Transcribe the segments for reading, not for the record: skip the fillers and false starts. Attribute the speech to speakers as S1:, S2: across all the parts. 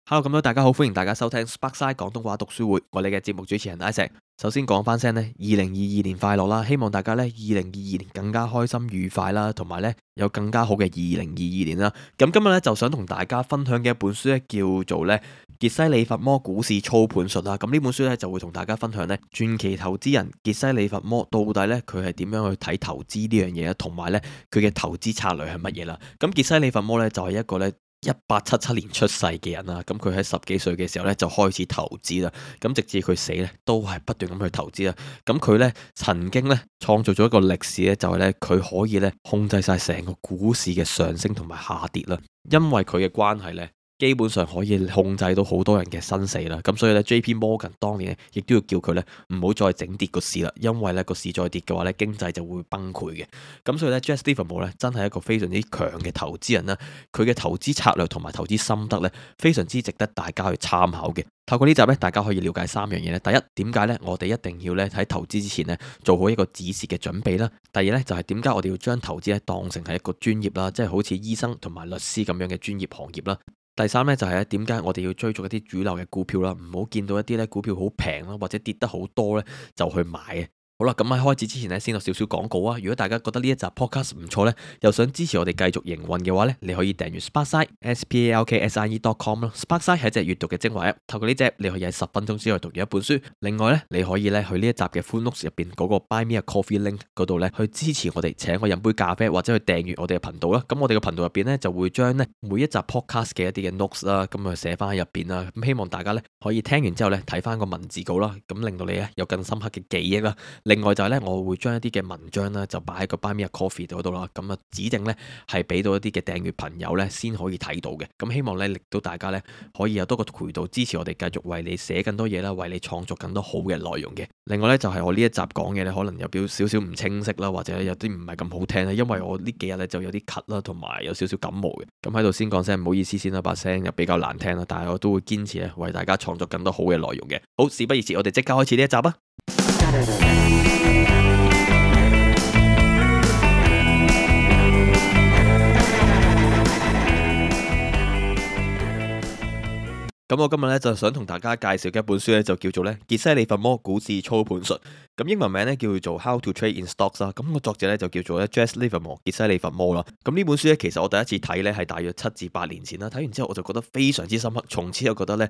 S1: Hello，咁多大家好，歡迎大家收聽 Sparkside 廣東話讀書會，我哋嘅節目主持人 Isaac。首先講翻聲呢2022年快樂啦，希望大家呢2022年更加開心愉快啦，同埋呢有更加好嘅2022年啦。咁今日呢就想同大家分享嘅一本書呢叫做呢傑西·利弗摩股市操盤術啦。咁呢本書呢就會同大家分享呢傳奇投資人傑西·利弗摩到底呢佢係點樣去睇投資呢樣嘢，同埋呢佢嘅投資策略係乜嘢啦。咁傑西·利弗摩呢就係一個呢1877年出世嘅人啦，咁佢喺10幾歲嘅時候咧就開始投資啦，咁直至佢死咧都係不斷咁去投資啦。咁佢咧曾經咧創造咗一個歷史咧，就係咧佢可以咧控制晒成個股市嘅上升同埋下跌啦，因為佢嘅關係咧。基本上可以控制到好多人嘅生死啦，咁所以咧 J.P. Morgan 當年咧亦都要叫佢咧唔好再整跌個市啦，因為咧個市再跌嘅話咧經濟就會崩潰嘅。咁所以咧 Jesse Livermore 咧真係一個非常之強嘅投資人啦，佢嘅投資策略同埋投資心得咧非常之值得大家去參考嘅。透過呢集咧，大家可以了解3樣嘢咧。第一，點解咧我哋一定要咧喺投資之前咧做好一個止蝕嘅準備啦。第二咧就係點解我哋要將投資咧當成係一個專業啦，即係好似醫生同埋律師咁樣嘅專業行業啦。第三咧就係咧點解我哋要追逐一啲主流嘅股票啦，唔好見到一啲咧股票好平啦，或者跌得好多咧就去買嘅。好啦，咁喺開始之前咧，先有少少廣告啊！如果大家覺得呢一集 podcast 唔錯咧，又想支持我哋繼續營運嘅話咧，你可以訂閱 Sparkside SPALKSIE.com 啦。Sparkside 係一隻閱讀嘅精華 app，透過呢隻你可以喺10分鐘之內讀完一本書。另外咧，你可以咧去呢一集嘅 full notes 入邊嗰個 Buy Me a Coffee link 嗰度咧，去支持我哋，請我飲杯咖啡，或者去訂閱我哋嘅頻道啦。咁我哋嘅頻道入邊咧就會將咧每一集 podcast 嘅一啲嘅 notes 啦，咁啊寫翻喺入邊啦。咁希望大家咧可以聽完之後咧睇翻個文字稿啦，咁令到你咧有更深刻嘅記憶啦。另外就係咧，我會將一啲嘅文章咧就擺喺個 Buy Me a Coffee 嗰度啦，咁啊指定咧係俾到一啲嘅訂閱朋友咧先可以睇到嘅。咁希望咧令到大家咧可以有多個渠道支持我哋繼續為你寫更多嘢啦，為你創作更多好嘅內容嘅。另外咧就係我呢一集講嘅咧，可能有少少唔清晰啦，或者有啲唔係咁好聽啦，因為我呢幾日咧就有啲咳啦，同埋有少少感冒嘅。咁喺度先講聲唔好意思先啦，把聲又比較難聽啦，但係我都會堅持咧為大家創作更多好嘅內容嘅。好，事不宜遲，我哋即刻開始呢一集啊！咁我今日咧就想同大家介紹嘅一本書咧就叫做咧傑西·利弗摩股市操盤術，咁英文名咧叫做 How to Trade in Stocks 啦。咁個作者咧就叫做咧 Jesse Livermore 傑西·利弗摩啦。咁呢本書咧其實我第一次睇咧係大約7至8年前啦，睇完之後我就覺得非常之深刻，從此就覺得咧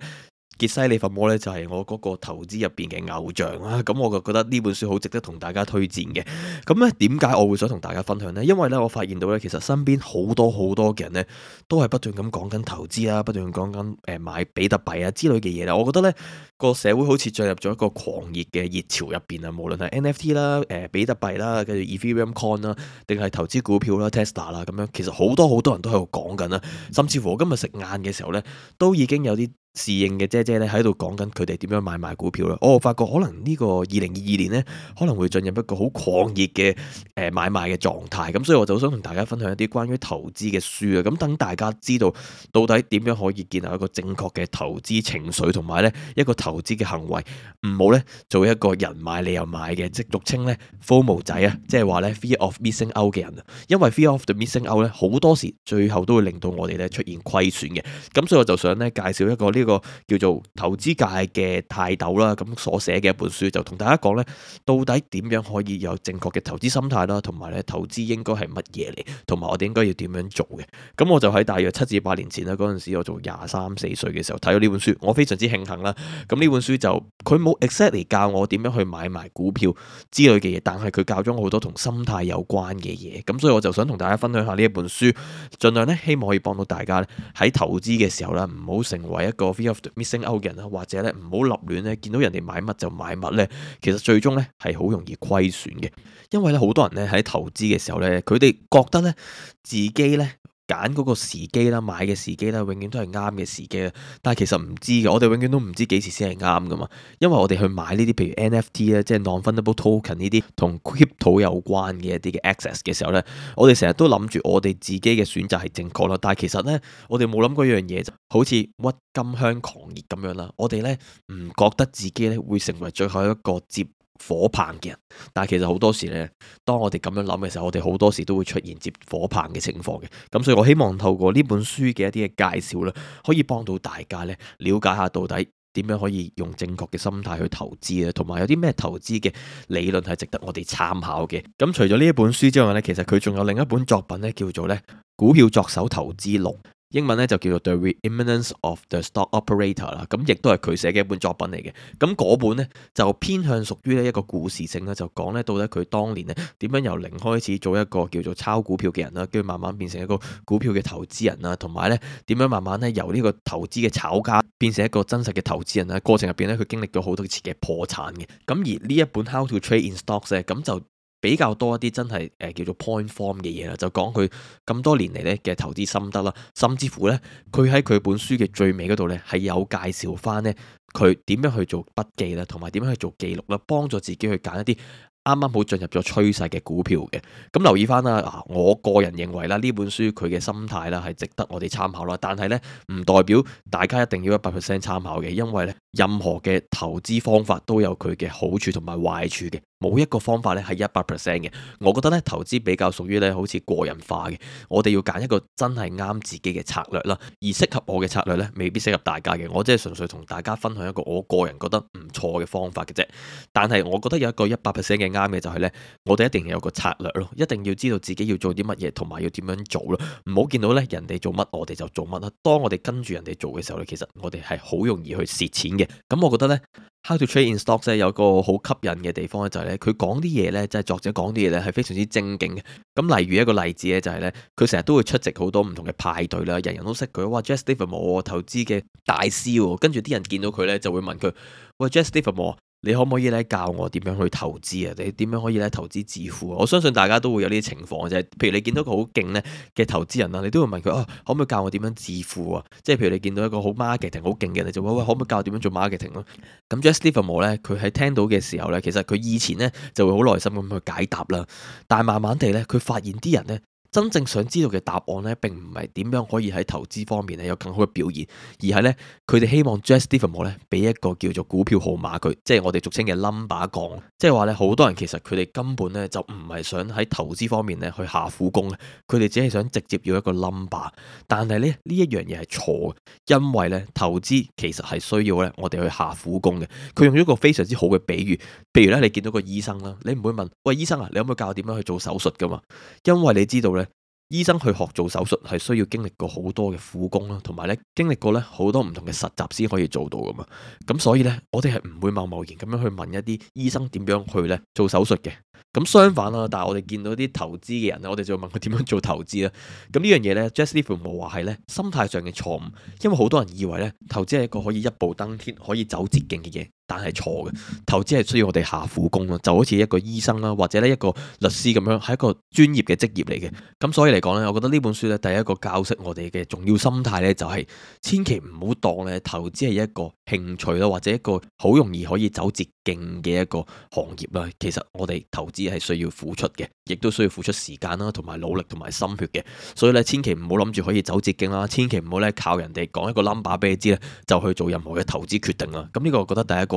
S1: 傑西·利弗摩咧就係我嗰個投資入邊嘅偶像啦，咁我就覺得呢本書好值得同大家推薦嘅。咁咧點解我會想同大家分享呢？因為咧我發現到咧其實身邊好多嘅人咧都係不斷咁講緊投資啦，不斷講緊買比特幣啊之類嘅嘢啦。我覺得咧個社會好似進入咗一個狂熱嘅熱潮入邊啊，無論係 NFT 啦、比特幣啦、跟住 Ethereum Coin 啦，定係投資股票啦、Tesla 啦咁樣，其實好多人都喺度講緊啦。甚至乎我今日食晏嘅時候咧，都已經有啲侍應嘅姐姐咧喺度講緊佢哋點樣買賣股票啦。我發覺可能呢個2022年咧可能會進入一個好狂熱嘅買賣嘅狀態，咁所以我就想同大家分享一啲關於投資嘅書啊，咁等大家知道到底點樣可以建立一個正確嘅投資情緒，同埋咧一個投資嘅行為，唔好咧做一個人買你又買嘅，即俗稱咧 FOMO 仔啊，即係話咧 Fear of Missing Out 嘅人啊。因為 Fear of the Missing Out 咧好多時最後都會令到我哋咧出現虧損嘅。咁所以我就想咧介紹一個呢個叫做投資界嘅泰斗啦，咁所寫嘅一本書，就同大家講咧到底點樣可以有正確嘅投資心態啦，同埋咧投資應該係乜嘢嚟，同埋我哋應該要點樣做嘅。咁我就喺大約7至8年前啦，嗰陣時我做23、24歲嘅時候睇咗呢本書，我非常之慶幸啦。咁呢本書就佢冇 exactly 教我點樣去買賣股票之類嘅嘢，但係佢教咗我好多同心態有關嘅嘢。咁所以我就想同大家分享下呢一本書，盡量咧希望可以幫到大家咧喺投資嘅時候啦，唔好成為一個 fear of missing out 嘅人啦，或者咧唔好立亂咧見到人哋買乜就買乜咧，其實最終咧係好容易虧損嘅。因為咧好多人咧喺投資嘅時候咧，佢哋覺得咧自己咧揀嗰個時機啦，買嘅時機啦，永遠都係啱嘅時機啦。但係其實唔知嘅，我哋永遠都唔知幾時先係啱噶嘛。因為我哋去買呢啲譬如 NFT 咧，即係 non-fungible token 呢啲同 crypto 有關嘅一啲嘅 access 嘅時候咧，我哋成日都諗住我哋自己嘅選擇係正確啦。但係其實咧，我哋冇諗過一樣嘢，就好似鬱金香狂熱咁樣啦。我哋咧唔覺得自己咧會成為最後一個接火棒嘅人。但係其實好多時呢，當我哋咁樣諗嘅時候，我哋好多時都會出現接火棒嘅情況嘅。咁所以我希望透過呢本書嘅一啲嘅介紹啦，可以幫到大家呢，了解下到底點樣可以用正確嘅心態去投資啊，同埋有啲咩投資嘅理論係值得我哋參考嘅。咁除咗呢一本書之外呢，其實佢仲有另一本作品呢，叫做呢股票作手投資錄。英文咧就叫做 The Re-eminence of the Stock Operator 啦，咁亦都係佢寫嘅一本作品嚟嘅。咁嗰本呢，就偏向屬於一個故事性啦，就講咧到底佢當年咧點樣由零開始做一個叫做炒股票嘅人啦，跟住慢慢變成一個股票嘅投資人啦，同埋咧點樣慢慢咧由呢個投資嘅炒家變成一個真實嘅投資人啦。過程入邊咧佢經歷咗好多次嘅破產嘅。咁而呢一本 How to Trade in Stocks 咧，咁就比較多一啲真係叫做 point form 嘅嘢啦，就講佢咁多年嚟咧嘅投資心得啦，甚至乎咧佢喺佢本書嘅最尾嗰度咧係有介紹翻咧佢點樣去做筆記啦，同埋點樣去做記錄啦，幫助自己去揀一啲啱啱好進入咗趨勢嘅股票嘅。咁留意翻啦，我個人認為啦，呢本書佢嘅心態啦係值得我哋參考啦，但係咧唔代表大家一定要100% 參考嘅，因為咧任何嘅投資方法都有佢嘅好處同埋壞處嘅。冇一個方法咧係100% 嘅，我覺得咧投資比較屬於咧好似個人化嘅，我哋要揀一個真係啱自己嘅策略啦，而適合我嘅策略咧未必適合大家嘅，我即係純粹同大家分享一個我個人覺得唔錯嘅方法嘅啫。但係我覺得有一個100% 嘅啱嘅就係咧，我哋一定要有個策略咯，一定要知道自己要做啲乜嘢，同埋要點樣做咯，唔好見到咧人哋做乜我哋就做乜啦。當我哋跟住人哋做嘅時候咧，其實我哋係好容易去蝕錢嘅。咁我覺得咧How to Trade in Stocks 有個好吸引嘅地方咧，就係咧佢講啲嘢咧，即係作者講啲嘢咧係非常之精警嘅。咁例如一個例子咧，就係咧佢成日都會出席好多唔同嘅派對啦，人人都識佢，哇 Jesse Livermore 投資嘅大師喎，跟住啲人見到佢咧就會問佢，喂 Jesse Livermore，你可唔可以咧教我點樣去投資啊？你點樣可以咧投資致富啊？我相信大家都會有呢啲情況嘅啫。譬如你見到個好勁咧嘅投資人啦，你都會問佢可唔可以教我點樣致富啊？即係譬如你見到一個好 marketing 好勁嘅，你就喂可唔可以教我點樣做 marketing 咯？咁 Jesse Livermore 咧，佢喺聽到嘅時候咧，其實佢以前咧就會好耐心咁去解答啦，但係慢慢地咧，佢發現啲人咧真正想知道嘅答案咧，並唔係點樣可以喺投資方面咧有更好嘅表現，而係咧佢哋希望 Jesse Livermore 咧俾一個叫做股票號碼佢，即係我哋俗稱嘅 number 講，即係話咧好多人其實佢哋根本咧就唔係想喺投資方面咧去下苦功嘅，佢哋只係想直接要一個 number， 但係咧呢一樣嘢係錯嘅，因為咧投資其實係需要咧我哋去下苦功嘅。佢用咗一個非常之好嘅比喻，譬如咧你見到個醫生啦，你唔會問喂醫生啊，你可唔可以教我點樣去做手術噶嘛？因為你知道咧。醫生去學做手術係需要經歷過好多嘅苦功啦，同埋咧經歷過咧好多唔同嘅實習先可以做到噶嘛。咁所以咧，我哋係唔會貿貿然咁樣去問一啲醫生點樣去咧做手術嘅。咁相反啦，但係我哋見到啲投資嘅人咧，我哋就會問佢點樣做投資啦。咁呢樣嘢咧 Jesse Livermore 話係咧心態上嘅錯誤，因為好多人以為咧投資係一個可以一步登天、可以走捷徑嘅嘢。但係錯嘅，投資係需要我哋下苦功咯，就好似一個醫生啦，或者咧一個律師咁樣，係一個專業嘅職業嚟嘅。咁所以嚟講咧，我覺得呢本書咧，第一個教識我哋嘅重要心態咧，就係千祈唔好當咧投資係一個興趣啦，或者一個好容易可以走捷徑嘅一個行業啦。其實我哋投資係需要付出嘅，亦都需要付出時間啦，同埋努力同埋心血嘅。所以咧，千祈唔好諗住可以走捷徑啦，千祈唔好咧靠人哋講一個 number 俾你知咧，就去做任何嘅投資決定啦。咁呢個我覺得第一個。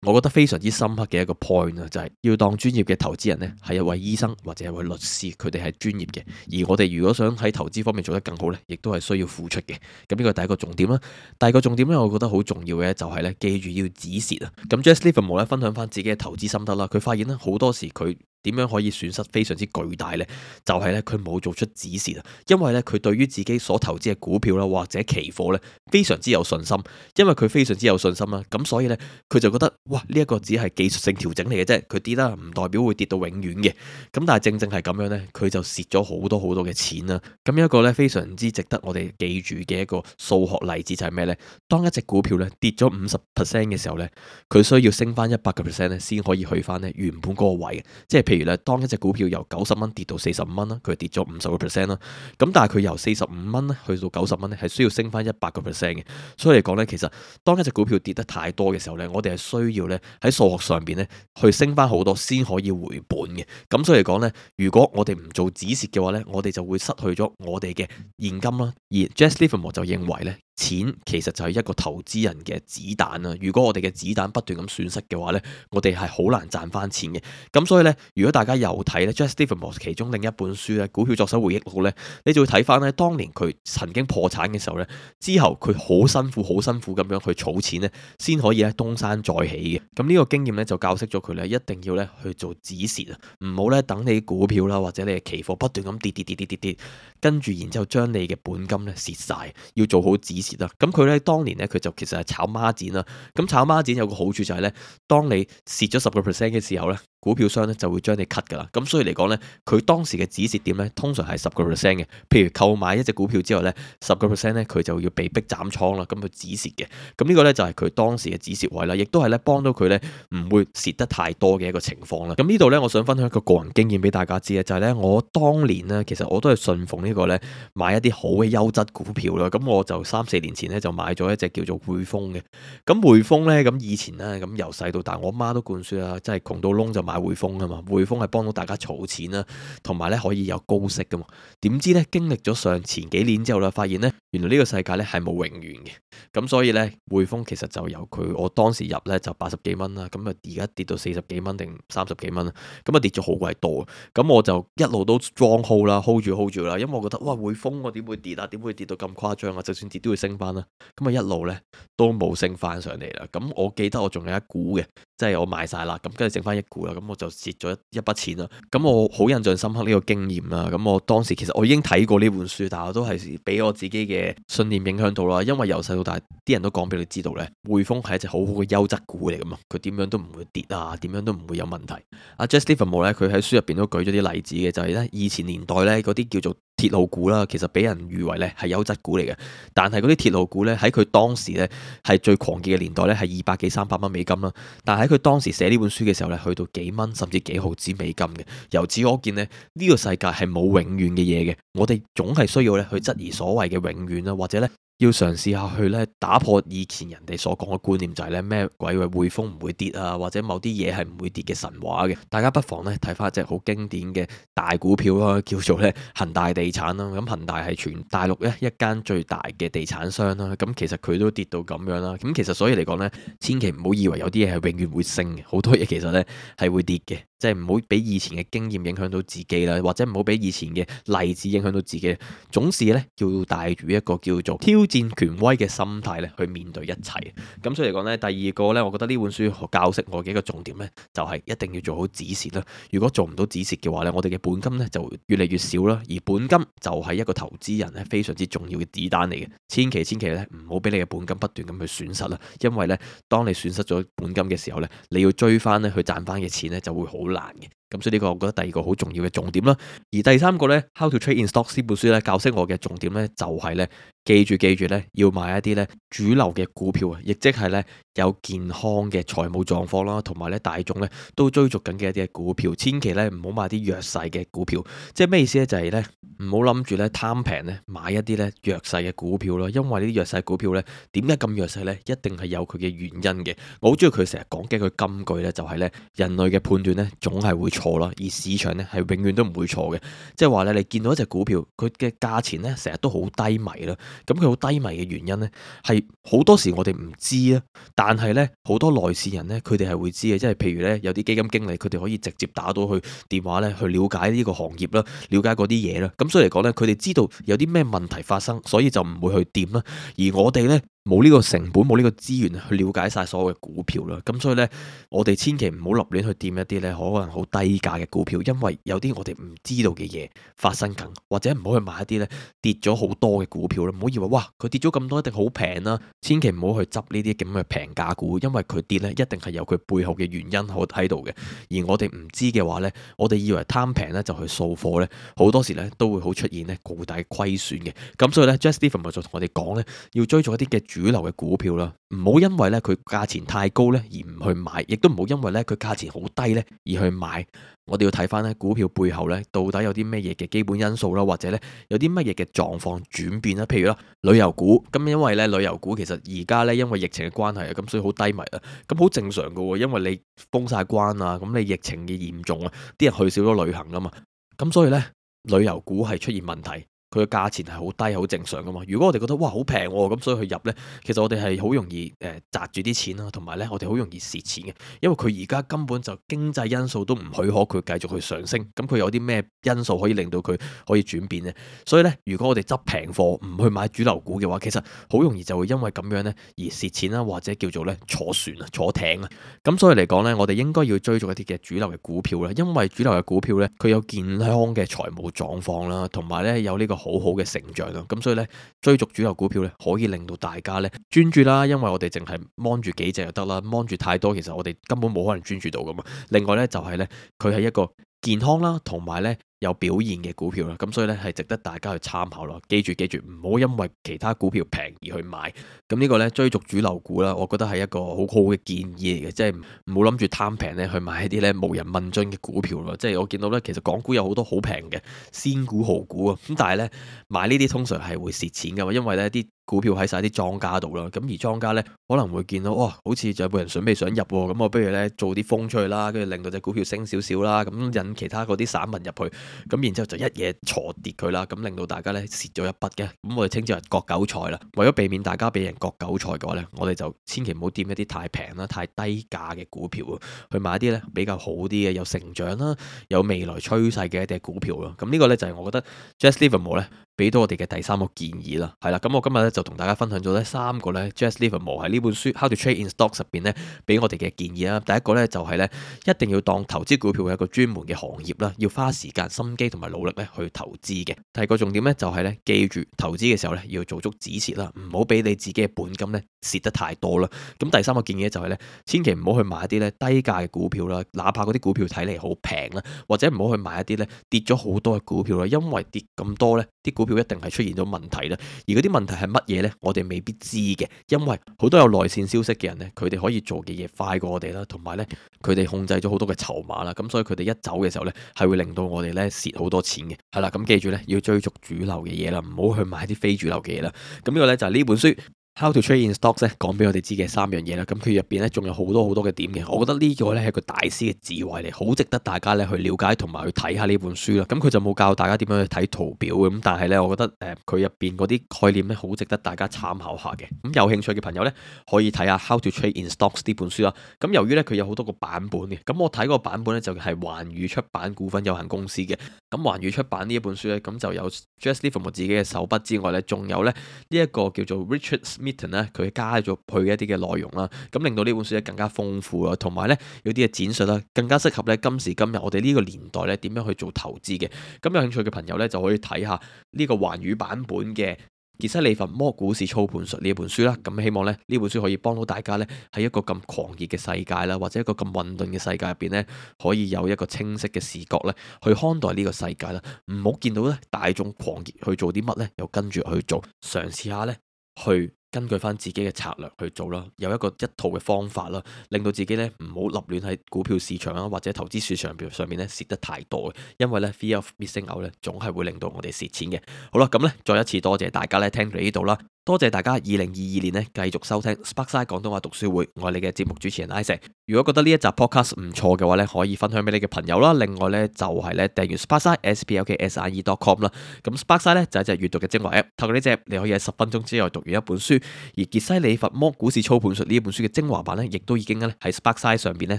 S1: 我覺得非常之深刻嘅一個 point 啊，就係要當專業嘅投資人呢，係一位醫生或者一位律師，佢哋係專業嘅。而我哋如果想喺投資方面做得更好呢，亦都係需要付出嘅。咁呢個第一個重點啦。第二個重點呢，我覺得好重要嘅就係呢，記住要止蝕啊。咁 Jesse Livermore 咧分享翻自己嘅投資心得啦，佢發現呢，好多時佢點樣可以損失非常之巨大呢？就係呢，佢冇做出止蝕啊，因為呢，佢對於自己所投資嘅股票啦或者期貨呢，非常之有信心，因為佢非常之有信心啦，咁所以呢，佢就覺得哇呢一個只係技術性調整嚟嘅啫，佢跌啦唔代表會跌到永遠嘅，咁但係正正係咁樣呢，佢就蝕咗好多好多嘅錢啦。咁一個呢，非常之值得我哋記住嘅一個數學例子就係咩呢？當一隻股票呢跌咗50% 嘅時候呢，佢需要升翻100% 呢先可以去翻呢原本嗰個位嘅，即係譬如咧，當一隻股票由90蚊跌到45蚊啦，佢跌咗50%啦。咁但係佢由45蚊咧去到90蚊咧，係需要升翻100%嘅。所以嚟講咧，其實當一隻股票跌得太多嘅時候咧，我哋係需要咧喺數學上邊咧去升翻好多先可以回本嘅。咁所以嚟講咧，如果我哋唔做止蝕嘅話咧，我哋就會失去咗我哋嘅現金啦。而 Jesse Livermore 就認為咧，錢其實就係一個投資人嘅子彈啦。如果我哋嘅子彈不斷咁損失嘅話咧，我哋係好難賺翻錢嘅。咁所以咧，如果大家有睇咧 Jesse Livermore 其中另一本書咧《股票作手回憶錄》咧，你就會睇翻咧當年佢曾經破產嘅時候咧，之後佢好辛苦咁樣去儲錢咧，先可以咧東山再起嘅。咁呢個經驗咧就教識咗佢咧，一定要咧去做止蝕啊，唔好咧等你股票啦或者你嘅期貨不斷咁跌，跟住然之後將你嘅本金咧蝕晒，要做好止蝕啦。咁佢咧當年咧佢就其實係炒孖展啦。咁炒孖展有個好處就係咧，當你蝕咗10% 嘅時候咧，股票商咧就會將你 cut 噶啦。咁所以嚟講咧，佢當時嘅止蝕點咧通常係10% 嘅。譬如購買一隻股票之後咧，10% 咧佢就要被逼斬倉啦，咁去止蝕嘅。咁呢個咧就係佢當時嘅止蝕位啦，亦都係咧幫到佢咧唔會蝕得太多嘅一個情況啦。咁呢度咧，我想分享一個個人經驗俾大家知嘅，就係咧我當年咧其實我都係信奉呢個咧買一啲好嘅優質股票啦。咁我就3-4年前咧就買咗一隻叫做匯豐嘅。咁匯豐咧咁以前咧咁由細到大，我媽都灌輸啦，即係窮到窿就買匯豐啊嘛。匯豐係幫到大家儲錢啦，同埋咧可以有高息噶嘛。點知咧經歷咗前幾年之後啦，發現咧原來呢個世界咧係冇永遠嘅。咁所以咧匯豐其實就由我當時入咧就80幾蚊啦，咁啊而家跌到40幾蚊定30幾蚊啦，咁啊跌咗好鬼多。咁我就一路都 strong hold 啦，hold 住啦，因為我覺得哇匯豐我點會跌啊？點會跌到咁誇張啊？就算跌都會升翻啦。咁啊一路咧都冇升翻上嚟啦。咁我記得我仲有一股嘅，即係我賣晒啦，咁跟住剩翻一股啦，咁我就蝕咗一筆錢啦。咁我好印象深刻呢個經驗啦。咁我當時其實我已經睇過呢本書，但係我都係俾我自己嘅信念影響到啦。因為由細到大啲人都講俾你知道咧，匯豐係一隻好好嘅優質股嚟噶嘛，佢點樣都唔會跌啊，點樣都唔會有問題。阿 Jesse Livermore 咧，佢喺書入邊都舉咗啲例子嘅，就係咧以前年代咧嗰啲叫做鐵路股啦，其實俾人譽為咧係優質股嚟嘅。但係嗰啲鐵路股咧喺佢當時咧係最狂熱嘅年代咧係200幾300蚊美金啦。但係喺佢當時寫呢本書嘅時候咧，去到幾蚊甚至幾毫子美金嘅。由此可見咧，呢個世界係冇永遠嘅嘢嘅。我哋總係需要咧去質疑所謂嘅永遠啦，或者咧要嘗試下去咧打破以前人哋所講嘅觀念，就係咧咩鬼話匯豐唔會跌啊，或者某啲嘢係唔會跌嘅神話嘅。大家不妨咧睇翻一隻好經典嘅大股票啦，叫做咧恒大地產啦。咁恒大係全大陸咧一間最大嘅地產商啦。咁其實佢都跌到咁樣啦。咁其實所以嚟講咧，千祈唔好以為有啲嘢係永遠會升嘅，好多嘢其實咧係會跌嘅。即係唔好俾以前嘅經驗影響到自己啦，或者唔好俾以前嘅例子影響到自己。總是咧要帶住一個叫做挑戰權威嘅心態咧去面對一切。咁所以嚟講咧，第二個咧，我覺得呢本書教識我嘅一個重點咧，就係一定要做好止蝕啦。如果做唔到止蝕嘅話咧，我哋嘅本金咧就越嚟越少啦。而本金就係一個投資人咧非常之重要嘅子彈嚟嘅。千祈咧唔好俾你嘅本金不斷咁去損失啦。因為咧，當你損失咗本金嘅時候咧，你要追翻咧去賺翻嘅錢咧就會好難嘅。咁所以呢個我覺得第二個好重要嘅重點啦。而第三個咧，How to Trade in Stocks 呢本書咧教識我嘅重點咧就係咧記住咧要買一啲咧主流嘅股票啊，亦即係咧有健康嘅財務狀況啦，同埋咧大眾咧都追逐緊嘅一啲嘅股票。千祈咧唔好買啲弱勢嘅股票。即係咩意思咧？就係咧唔好諗住咧貪平咧買一啲咧弱勢嘅股票咯。因為呢啲弱勢股票咧點解咁弱勢咧？一定係有佢嘅原因嘅。我好中意佢成日講嘅句金句咧，就係咧人類嘅判斷咧總係會錯啦，而市場咧係永遠都唔會錯嘅。即係話咧，你見到一隻股票，佢嘅價錢咧成日都好低迷啦。咁佢好低迷嘅原因咧，係好多時我哋唔知啊。但係咧，好多內線人咧，佢哋係會知嘅。即係譬如咧，有啲基金經理，佢哋可以直接打到去電話咧，去了解呢個行業啦，了解嗰啲嘢啦。咁所以嚟講咧，佢哋知道有啲咩問題發生，所以就唔會去掂啦。而我哋咧，冇呢個成本，冇呢個資源去了解晒所有嘅股票啦。咁所以呢，我哋千祈唔好立亂去掂一啲呢可能好低價嘅股票，因為有啲我哋唔知道嘅嘢發生緊，或者唔好去買一啲呢跌咗好多嘅股票啦。唔好以為哇佢跌咗咁多一定好平啦，千祈唔好去執呢啲咁嘅平價股，因為佢跌呢一定係有佢背後嘅原因喺度嘅。而我哋唔知嘅話呢，我哋以為貪平呢就去掃貨呢，好多時呢都會好出現呢巨大虧損嘅。咁所以呢，Jesse Livermore 就同我哋講呢，要追逐一啲嘅主流嘅股票啦，唔好因為咧佢價錢太高咧而唔去買，亦都唔好因為咧佢價錢好低咧而去買。我哋要睇翻咧股票背後咧到底有啲咩嘢嘅基本因素啦，或者咧有啲乜嘢嘅狀況轉變啦。譬如啦，旅遊股咁，因為咧旅遊股其實而家咧因為疫情嘅關係啊，咁所以好低迷啊，咁好正常噶喎，因為你封晒關啊，咁你疫情嘅嚴重啊，啲人去少咗旅行啊嘛，咁所以咧旅遊股係出現問題。佢嘅價錢係好低，好正常噶嘛。如果我哋覺得哇好平喎，咁所以去入呢，其實我哋係好容易擲住啲錢啦，同埋呢，我哋好容易蝕錢嘅，因為佢而家根本就經濟因素都唔許可佢繼續去上升。咁佢有啲咩因素可以令到佢可以轉變呢？所以呢，如果我哋執平貨唔去買主流股嘅話，其實好容易就會因為咁樣呢而蝕錢啦，或者叫做呢坐船啊、坐艇啊。咁所以嚟講呢，我哋應該要追逐一啲嘅主流嘅股票啦，因為主流嘅股票呢，佢有健康嘅財務狀況啦，同埋呢有呢個好好嘅成長啦，咁所以咧追逐主流股票咧，可以令到大家咧專注啦，因為我哋淨係望住幾隻就得啦，望住太多其實我哋根本冇可能專注到噶嘛。另外咧就係咧，佢係一個健康啦，同埋咧有表現嘅股票啦，咁所以咧係值得大家去參考咯。記住，唔好因為其他股票平而去買。咁呢個咧追逐主流股啦，我覺得係一個好好嘅建議嚟嘅，即係唔好諗住貪平咧去買一啲咧無人問津嘅股票咯。即係我見到咧，其實港股有好多好平嘅仙股、豪股啊，咁但係咧買呢啲通常係會蝕錢噶嘛，因為咧啲股票喺晒啲莊家度啦，咁而莊家咧可能會見到哇，好似就有人準備想入喎，咁我不如咧做啲風出去啦，跟住令到隻股票升少少啦，咁引其他嗰啲散民入去，咁然之後就一嘢挫跌佢啦，咁令到大家咧蝕咗一筆嘅，咁我哋稱之為割韭菜啦。為咗避免大家俾人割韭菜嘅話咧，我哋就千祈唔好掂一啲太平啦、太低價嘅股票啊，去買一啲咧比較好啲嘅、有成長啦、有未來趨勢嘅一啲股票咯。咁呢個咧就係我覺得 Jesse Livermore 咧俾到我哋嘅第三個建議啦，係啦，咁我今日咧就同大家分享咗呢三個咧 Jesse Livermore 喺呢本書《How to Trade in Stocks》入邊咧俾我哋嘅建議啦。第一個咧就係咧一定要當投資股票係一個專門嘅行業啦，要花時間、心機同埋努力咧去投資嘅。第二個重點咧就係咧記住投資嘅時候咧要做足止蝕啦，唔好俾你自己嘅本金咧蝕得太多啦。咁第三個建議咧就係咧千祈唔好去買一啲咧低價嘅股票啦，哪怕嗰啲股票睇嚟好平啦，或者唔好去買一啲咧跌咗好多嘅股票啦，因為跌咁多咧啲股票一定係出現咗問題啦。而嗰啲問題係乜嘢呢？我哋未必知嘅，因為好多有內線消息嘅人呢，佢哋可以做嘅嘢快過我哋啦，同埋呢，佢哋控制咗好多嘅籌碼啦，咁所以佢哋一走嘅時候呢，係會令到我哋呢蝕好多錢嘅。係啦，咁記住呢，要追逐主流嘅嘢啦，唔好去買啲非主流嘅嘢啦。咁呢個呢，就係呢本書How to Trade in Stocks 咧，講俾我哋知嘅三樣嘢啦。咁佢入邊咧仲有好多好多嘅點嘅，我覺得呢個咧係一個大師嘅智慧嚟，好值得大家咧去了解同埋去睇下呢本書啦。咁佢就冇教大家點樣去睇圖表嘅，咁但係咧，我覺得佢入邊嗰啲概念咧好值得大家參考下嘅。咁有興趣嘅朋友咧可以睇下 How to Trade in Stocks 呢本書啦。咁由於咧佢有好多個版本嘅，咁我睇個版本咧就係環宇出版股份有限公司嘅。咁環宇出版呢一本書咧，咁就有 Jesse Livermore 自己嘅手筆之外咧，仲有咧呢一個叫做 Richard Smithson 咧，佢加咗佢嘅一啲嘅內容啦，咁令到呢本書咧更加豐富啦，同埋咧有啲嘅展述啦，更加適合咧今時今日我哋呢個年代咧點樣去做投資嘅。咁有興趣嘅朋友咧就可以睇下呢個環宇版本嘅傑西·利弗摩股市操盤術呢一本書啦。咁希望咧呢本書可以幫到大家咧喺一個咁狂熱嘅世界啦，或者一個咁混沌嘅世界入邊咧，可以有一個清晰嘅視覺咧去看待呢個世界啦。唔好見到咧大眾狂熱去做啲乜咧，又跟住去做，嘗試下咧去根據翻自己嘅策略去做啦，有一套嘅方法啦，令到自己咧唔好立亂喺股票市場啊或者投資市場上面咧蝕得太多嘅，因為咧 fear of missing out 咧總係會令到我哋蝕錢嘅。好啦，咁咧再一次多謝大家咧聽到呢度啦。多謝大家2022年咧繼續收聽 Sparkside 廣東話讀書會，我係你嘅節目主持人 Isaac。如果覺得呢一集 podcast 唔錯嘅話咧，可以分享俾你嘅朋友啦。另外咧就係咧訂閱 Sparkside sparkside.com 啦。咁 Sparkside 咧就係一隻閱讀嘅精華 app，透過呢隻你可以喺10分鐘之內讀完一本書。而傑西·利弗摩股市操盤術呢一本書嘅精華版咧，亦都已經咧喺 Sparkside 上邊咧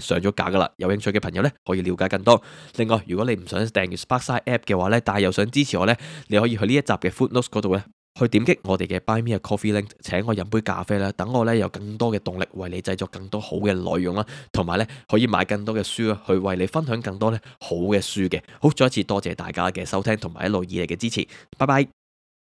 S1: 上咗架噶啦。有興趣嘅朋友咧可以了解更多。另外，如果你唔想訂閱 Sparkside app 嘅話咧，但係又想支持我咧，你可以去呢一集嘅 Footnotes 嗰度咧，去點擊我哋嘅 Buy Me a Coffee link，請我飲杯咖啡啦，等我咧有更多嘅動力為你製作更多好嘅內容啦，同埋咧可以買更多嘅書啦，去為你分享更多咧好嘅書嘅。好，再一次多謝大家嘅收聽同埋一路以嚟嘅支持，拜拜。